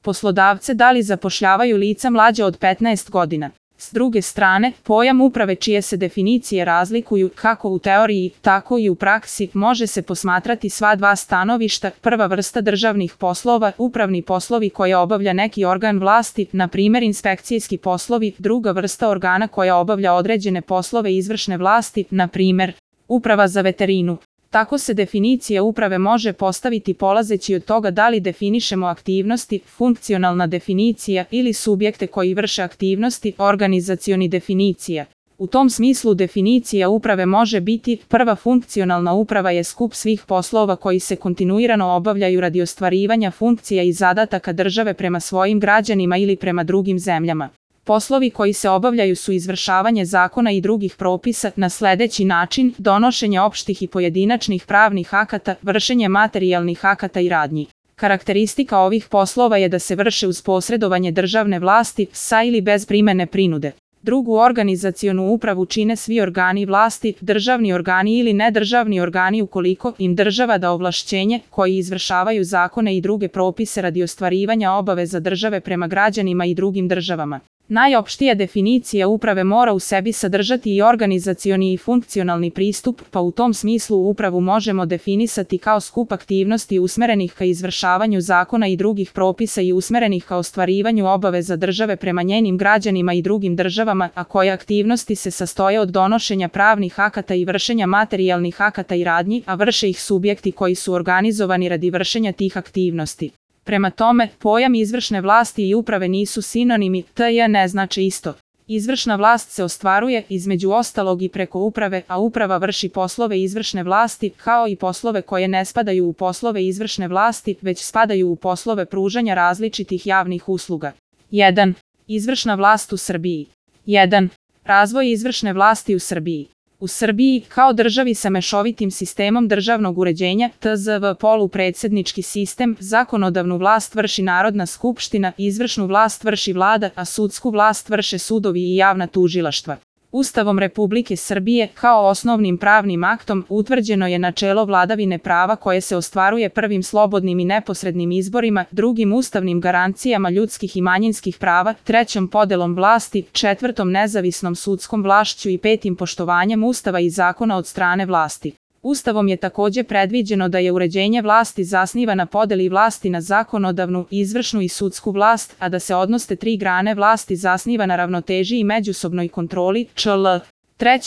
poslodavce da li zapošljavaju lica mlađa od 15 godina. S druge strane, pojam uprave čije se definicije razlikuju kako u teoriji, tako i u praksi, može se posmatrati sva dva stanovišta. Prva vrsta državnih poslova, upravni poslovi koje obavlja neki organ vlasti, na primjer inspekcijski poslovi, druga vrsta organa koja obavlja određene poslove izvršne vlasti, na primjer, uprava za veterinu. Tako se definicija uprave može postaviti polazeći od toga da li definišemo aktivnosti, funkcionalna definicija ili subjekte koji vrše aktivnosti, organizacioni definicija. U tom smislu definicija uprave može biti: prva funkcionalna uprava je skup svih poslova koji se kontinuirano obavljaju radi ostvarivanja funkcija i zadataka države prema svojim građanima ili prema drugim zemljama. Poslovi koji se obavljaju su izvršavanje zakona i drugih propisa na sljedeći način: donošenje opštih i pojedinačnih pravnih akata, vršenje materijalnih akata i radnji. Karakteristika ovih poslova je da se vrše uz posredovanje državne vlasti, sa ili bez primene prinude. Drugu organizacionu upravu čine svi organi vlasti, državni organi ili nedržavni organi ukoliko im država da ovlašćenje, koji izvršavaju zakone i druge propise radi ostvarivanja obaveza države prema građanima i drugim državama. Najopštija definicija uprave mora u sebi sadržati i organizacioni i funkcionalni pristup, pa u tom smislu upravu možemo definisati kao skup aktivnosti usmerenih ka izvršavanju zakona i drugih propisa i usmerenih ka ostvarivanju obaveza države prema njenim građanima i drugim državama, a koje aktivnosti se sastoje od donošenja pravnih akata i vršenja materijalnih akata i radnji, a vrše ih subjekti koji su organizovani radi vršenja tih aktivnosti. Prema tome, pojam izvršne vlasti i uprave nisu sinonimi, te ne znači isto. Izvršna vlast se ostvaruje, između ostalog, i preko uprave, a uprava vrši poslove izvršne vlasti, kao i poslove koje ne spadaju u poslove izvršne vlasti, već spadaju u poslove pružanja različitih javnih usluga. 1. Izvršna vlast u Srbiji. 1. Razvoj izvršne vlasti u Srbiji. U Srbiji, kao državi sa mešovitim sistemom državnog uređenja, TZV polupredsjednički sistem, zakonodavnu vlast vrši Narodna skupština, izvršnu vlast vrši Vlada, a sudsku vlast vrše sudovi i javna tužilaštva. Ustavom Republike Srbije, kao osnovnim pravnim aktom, utvrđeno je načelo vladavine prava koje se ostvaruje prvim slobodnim i neposrednim izborima, drugim ustavnim garancijama ljudskih i manjinskih prava, trećom podelom vlasti, četvrtom nezavisnom sudskom vlašću i petim poštovanjem Ustava i zakona od strane vlasti. Ustavom je također predviđeno da je uređenje vlasti zasniva na podeli vlasti na zakonodavnu, izvršnu i sudsku vlast, a da se odnos te tri grane vlasti zasniva na ravnoteži i međusobnoj kontroli, čl. 3.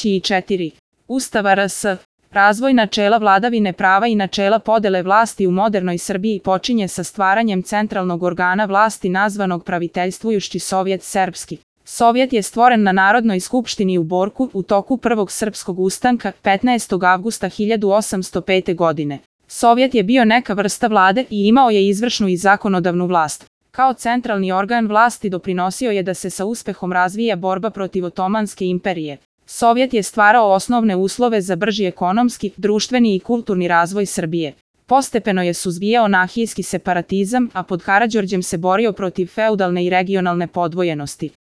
i 4. Ustava RS. Razvoj načela vladavine prava i načela podele vlasti u modernoj Srbiji počinje sa stvaranjem centralnog organa vlasti nazvanog Praviteljstvujušći Sovjet Serbski. Sovjet je stvoren na Narodnoj skupštini u Borku u toku Prvog srpskog ustanka 15. avgusta 1805. godine. Sovjet je bio neka vrsta vlade i imao je izvršnu i zakonodavnu vlast. Kao centralni organ vlasti doprinosio je da se sa uspehom razvija borba protiv Otomanske imperije. Sovjet je stvarao osnovne uslove za brži ekonomski, društveni i kulturni razvoj Srbije. Postepeno je suzbijao anarhijski separatizam, a pod Karađorđem se borio protiv feudalne i regionalne podvojenosti.